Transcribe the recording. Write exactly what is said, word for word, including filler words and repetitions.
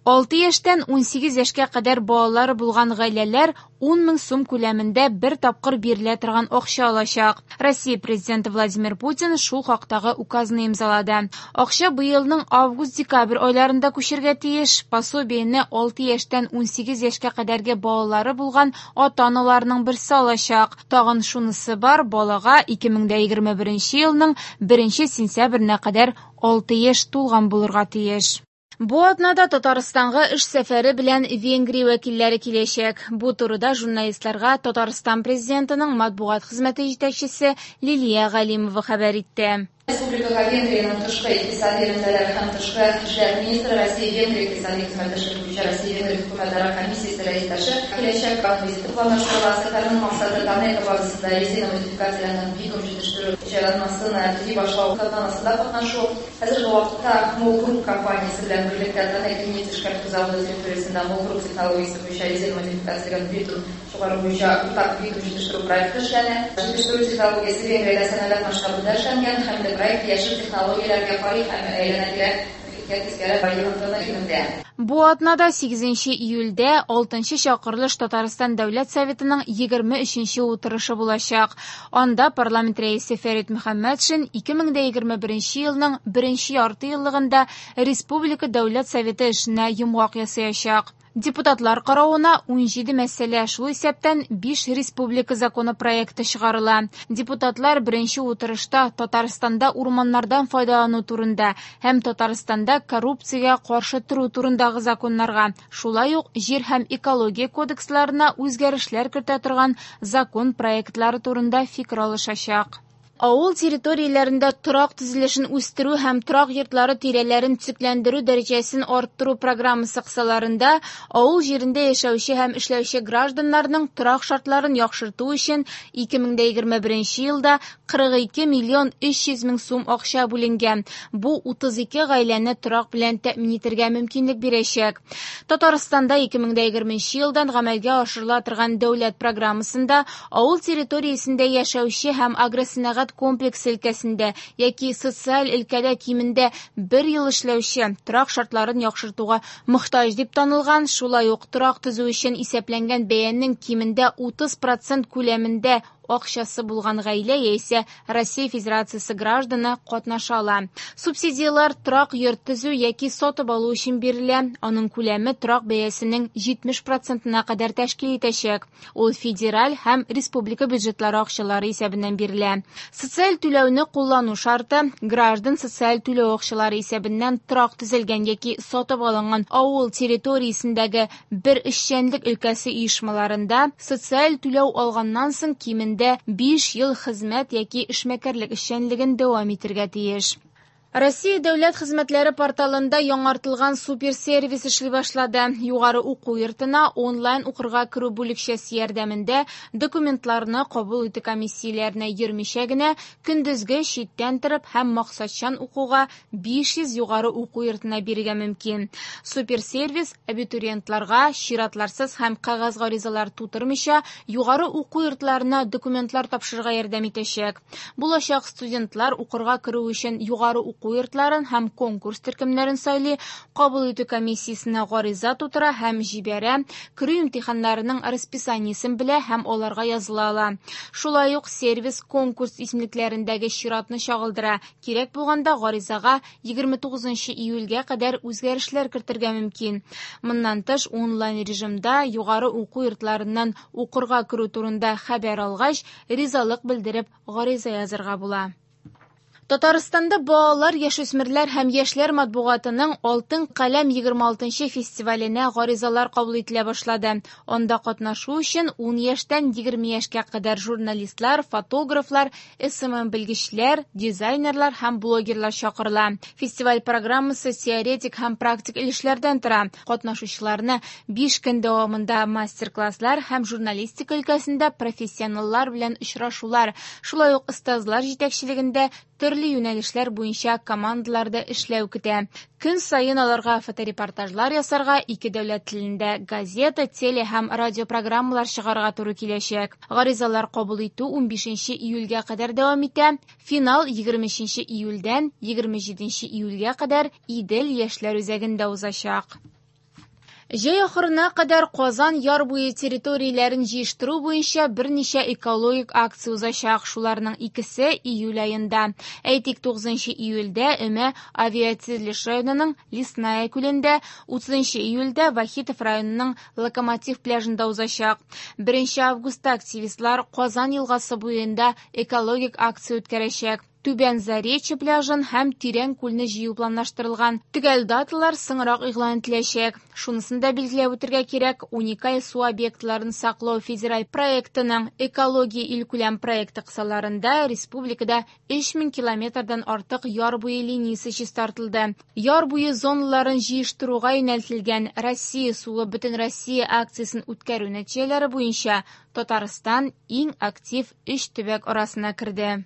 Алты яшьтән унсигез яшькә кадәр балалары булган гаиләләр ун мең сум күләмендә бер тапкыр бирелә торган акча алачак. Россия президенты Владимир Путин шул хактагы указны имзалады. Акча быелның август-декабрь айларында күчергә тиеш. Пособиене алты яшьтән унсигез яшькә кадәрге балалары булган ата-аналарның берсе алачак. Тагын шунысы бар, балага ике мең дә егерме беренче елның беренче сентябренә кадәр алты яшь тулган булырга тиеш. Бу атнада Татарстанга эш сәфәре белән Венгрия вәкилләре киләчәк. Бу турыда журналистларга Татарстан президентының матбугат хезмәте җитәкчесе Лилия Галимова хәбәр итте. Республикага Венгриянең тышкы икътисади элемтәләр һәм тышкы эшләр министры, Россия-Венгрия икътисади хезмәттәшлек буенча Россия-Венгрия хөкүмәтара комиссиясе рәистәше киләчәк визиты планлаштырыла. Сәфәрнең максаты Танека базасында резина модификацияләренең битум җитештерү җайланмасын төзи башлау тантанасында катнашу. Хәзерге вакытта Мол Групп компаниясе белән берлектә Танека нефть эшкәртү заводы территориясендә Мол Групп технологиясе буенча резина модификацияләрен битум чыгару буенча уртак битум җитештерү проекты эшләнә. Җитештерү технологиясе Венгриядә сәнәгать масштабында эшләнгән һәм дә проект яшел технологияләргә карый һәм әйләнә-тирә мохиткә тискәре йогынтыны киметә. Бу атнада сигезенче июльдә алтынчы чакырылыш Татарстан Дәүләт Советының егерме өченче утырышы булачак. Анда парламент рәисе Фәрит Мөхәммәтшин ике мең дә егерме беренче елның беренче ярты еллыгында Республика Дәүләт Советы эшенә йомгак ясаячак. Депутатлар каравына унҗиде мәсьәлә, шул исәптән биш республика законопроекты чыгарыла. Депутатлар беренче утырышта Татарстанда урманнардан файдалану турында һәм Татарстанда коррупциягә каршы тору турындагы законнарга, шулай ук җир һәм экология кодексларына үзгәрешләр кертә торган закон проектлары турында фикер алышачак. Авыл территорияләрендә торак төзелешен үстерү һәм торак йортлары тирәләрен төзекләндерү дәрәҗәсен арттыру программасы кысаларында авыл җирендә яшәүче һәм эшләүче гражданнарның торак шартларын яхшырту өчен ике мең дә егерме беренче елда кырык ике миллион өч йөз мең сум акча бүленгән. Бу утыз ике гаиләне торак белән тәэмин итәргә мөмкинлек бирәчәк. Татарстанда ике мең дә егерменче елдан гамәлгә ашырыла торган дәүләт программасында авыл территориясендә яшәүче һәм агросәнәгать комплексы өлкәсендә яки социаль өлкәдә кимендә бер ел эшләүче торак шартларын яхшыртуга мохтаҗ дип танылган, шулай ук торак төзү өчен исәпләнгән бәянең кимендә утыз процент күләмендә акчасы булган гаилә яисә Россия Федерациясе гражданы катнаша ала. Субсидияләр торак йорт төзү яки сатып алу өчен бирелә. Аның күләме торак бәясенең җитмеш процентына кадәр тәшкил итәчәк. Ул федераль һәм республика бюджетлары акчалары исәбеннән бирелә. Социаль түләүне куллану шарты граждан социаль түләү акчалары исәбеннән торак төзелгән яки сатып алынган авыл территориясендәге бер эшчәнлек өлкәсе оешмаларында социаль түләү алганнан соң кимендә биш ел хезмәт яки эшмәкәрлек эшчәнлеген дәвам итәргә тиеш. Россия дәүләт хезмәтләре порталында яңартылган суперсервис эшли башлады. Югары уку йортына онлайн укырга керү бүлекчәсе ярдәмендә документларны кабул итү комиссияләренә йөрмичә генә көндезге читтән торып һәм максатчан укуга биш йөз югары уку йортына бирергә мөмкин. Суперсервис абитуриентларга чиратларсыз һәм кәгазь гаризалар тутырмыйча югары уку йортларына документлар тапшырырга ярдәм итәчәк. Булачак студентлар укырга керү өчен югары уку йортларын һәм конкурс төркемнәрен сайлый, кабул итү комиссиясенә гариза тутыра һәм җибәрә, керү имтиханнарының расписаниесен белә һәм аларга языла ала. Шулай ук сервис конкурс исемлекләрендәге чиратны чагылдыра. Кирәк булганда гаризага егерме тугызынчы июльгә кадәр үзгәрешләр кертергә мөмкин. Моннан тыш онлайн режимда югары уку йортларыннан укырга керү турында хәбәр алгач, ризалык белдереп гариза язырга була. Татарстанда балалар, яшүсмерләр һәм яшьләр матбугатының Алтын каләм егерме алтынчы фестиваленә гаризалар кабул ителә башлады. Анда катнашу өчен ун яшьтән егерме яшькә кадәр журналистлар, фотографлар, эс эм эм белгечләр, дизайнерлар һәм блогерлар чакырыла. Фестиваль программасы теоретик һәм практик өлешләрдән тора. Катнашучыларны биш көн дәвамында мастер-класслар һәм журналистика өлкәсендә профессионаллар белән очрашулар, шулай ук остазлар җитәкчелегендә төрле юнәлешләр буенча командаларда эшләү көтә. Көн саен аларга фоторепортажлар ясарга, ике дәүләт телендә газета, теле һәм радиопрограммалар чыгарырга туры киләчәк. Гаризалар кабул итү унбишенче июльгә кадәр дәвам итә. Финал егерме өченче июльдән егерме җиденче июльгә кадәр Идел яшьләр үзәгендә узачак. Җәй ахырына кадәр Казан яр буе территорияләрен җыештыру буенча берничә экологик акция узачак. Шуларның икесе июль аенда. Әйтик, тугызынчы июльдә Өмә авиатөзелеш районының Лесная күлендә, утызынчы июльдә Вахитов районының Локомотив пляжында узачак. Беренче августта активистлар Казан елгасы буенда экологик акция үткәрәчәк. Түбән Заречье пляжын һәм Тирән күлне җыю планлаштырылган. Төгәл даталар соңрак игълан ителәчәк. Шунысын да билгеләп үтергә кирәк, уникаль су объектларын саклау федераль проектының экология илкүләм проекты кысаларында республикада өч мең километрдан артык яр буе линиясе чистартылды. Яр буе зоналарын җыештыруга юнәлтелгән Россия суы Бөтенроссия акциясен үткәрү нәтиҗәләре буенча Татарстан иң актив өч төбәк арасына керде.